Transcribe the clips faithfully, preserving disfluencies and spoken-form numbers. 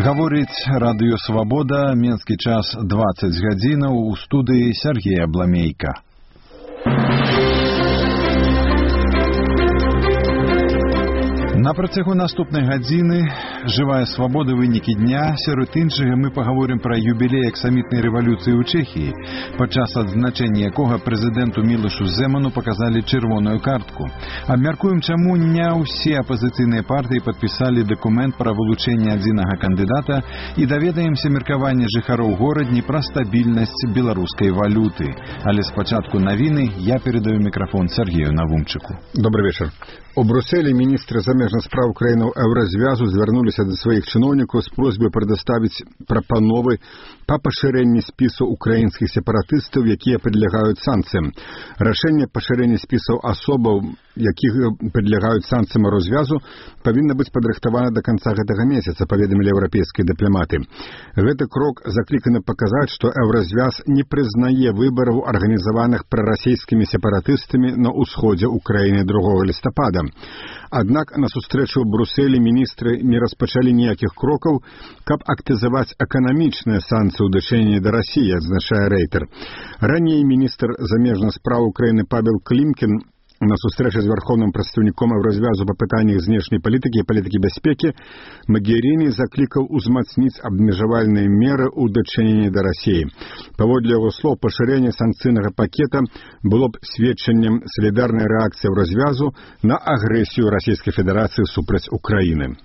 Гаворыць радыё «Свабода», менскі час дваццаць гадзінаў, у студыі Сергей Абламейка. На працягу наступнай гадзіны «Жывая свабода. Вынікі дня». Сярод іншага мы паговорым пра юбілей аксамітнай рэвалюцыі ў Чэхіі, падчас адзначэння якога прэзідэнту Мілошу Зэману паказалі чырвоную картку. Абмяркуем, чаму не ўсе апазіцыйныя партыі падпісалі дакумент пра вылучэнне адзінага кандыдата і даведаемся меркаванне жыхароў горадні пра стабільнасць беларускай валюты. Але спачатку навіны я перадаю мікрафон Сергею Навумчыку. Добрый вечер. У Брюсселі міністры замежных спраў краінаў Еўразвязу звярнуліся да сваіх чыноўнікаў з просьбай прадставіць прапановы па пашырэнні спісу украінскіх сепаратыстаў, якія падлягаюць санкцыям. Рашэнне пашырэння спісаў асобаў, якіх падлягаюць санкцыям развязу, павінна быць падрыхтавана да канца гэтага месяца, паведамілі еўрапейскія дыпламаты. Гэты крок закліканы паказаць, што Еўразвяз не прызнае выбараў, арганізаваных прарасійскімі сепаратыстамі на ўсходзе ўкраіны другога лістапада. Аднак на сустрэчу ў Брюсселі міністры не распачалі ніякіх крокаў, каб актывізаваць эканамічныя санкцыі ў дачыненні да Расіі, адзначае Рэйтер. Раней міністр замежных спраў Украіны Павел Клімкін на сустрэчы з вярхоўным прадстаўніком Еўразвязу па пытаннях знешняй палітыкі і палітыкі бяспекі Магеріні заклікаў узмацніць абмежавальныя меры ў дачыненні да Расіі. Паводле яго слоў, пашырэнне санкцыйнага пакета было б сведчаннем салідарнай рэакцыі Еўразвязу на агрэсію Расійскай Федэрацыі супраць Украіны.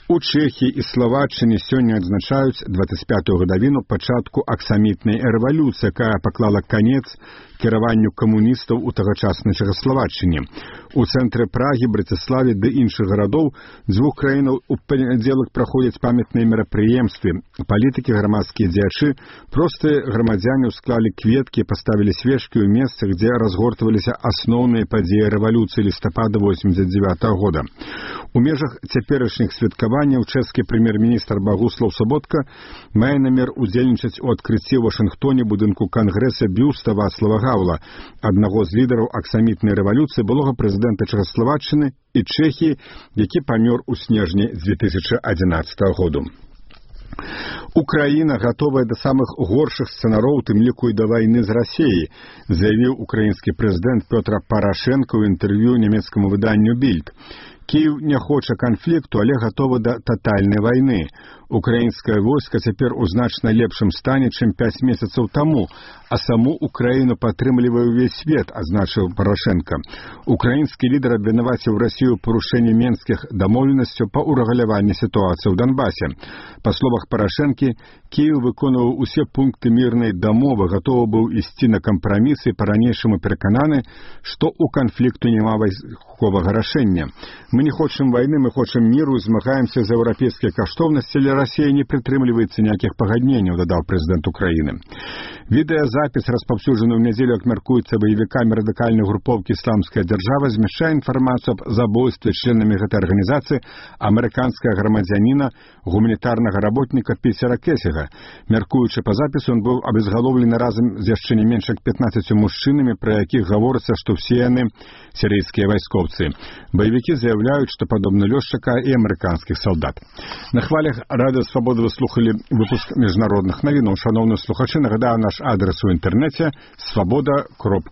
У Чэхіі і Славаччыне сёння адзначаюць дваццаць пятую гадавіну пачатку аксамітнай рэвалюцыі, якая паклала канец кіраванню камуністаў у тагачаснай Чэхаславаччыне. У цэнтры Прагі, Браціславе ды іншых гарадоў дзвюх краінаў у панядзелак праходзяць памятныя мерапрыемствы. Палітыкі, грамадскія дзеячы, простыя грамадзяне ўсклалі кветкі, паставілі свечкі ў месцах, дзе разгортваліся асноўныя падзеі рэвалюцыі лістапада восемьдесят девятого года. У межах цяперашніх святкаванняў чэшскі прэм'ер-міністр Багуслаў Саботка мае намер удзельнічаць у адкрыцці ў Вашынгтоне будынку кангрэса бюста Вацлава Гаўла, аднаго з лідараў аксамітнай рэвалюцыі, былога прэзідэнта Чэхаславаччыны і Чэхіі, які памёр у снежні две тысячи адзінаццатого году. Украіна гатовая да самых горшых сцэнароў, тым ліку і да вайны з Расіяй, заявіў украінскі прэзідэнт Пётр Парашэнка ў інтэрв'ю нямецкаму выданню «Більд». Кіеў не хоча канфлікту, але гатова да татальнай вайны. Украінскае войска цяпер у значна лепшым стане, чым пяць месяцаў таму, а саму Украіну падтрымлівае ўвесь свет, азначыў Парашэнка. Украінскі лідар абвінаваціў Расію ў парушэнні менскіх дамоўленасцяў па ўрэгуляванні сітуацыі ў Донбасе. Па словах Парашэнкі, Кіеў выконваў усе пункты мірнай дамовы, гатовы быў ісці на кампрамісы і па-ранейшаму перакананы, што ў канфлікту няма вайсковага рашэння. Мы не хочам вайны, мы хочам міру, змагаемся за еўрапейскія каштоўнасці, але Расія не прытрымліваецца ніякіх пагадненняў, дадаў прэзідэнт Украіны. Відэазапіс, распаўсюджаны ў нядзелю, як мяркуецца баевікамі радыкальнай групоўкі «Ісламская дзяржава», змяшчае інфармацыю аб забойстве членамі гэтай арганізацыі амерыканскага грамадзяніна, гуманітарнага работніка Піцера Кесіга. Мяркуючы па запісу, ён быў абезгалоўлены разам з яшчэ не менш як пятнаццаццю мужчынамі, пра якіх гаворыцца, што ўсе яны сірыйскія вайскоўцы. Баевікі заявляюць, што падобны лёс чакае і амерыканскіх салдат. На хвалях радыё «Свабода» вы слухалі выпуск міжнародных навінаў. Шаноўныя слухачы, нагадаю наш адрес у інтэрнэце свабода кропка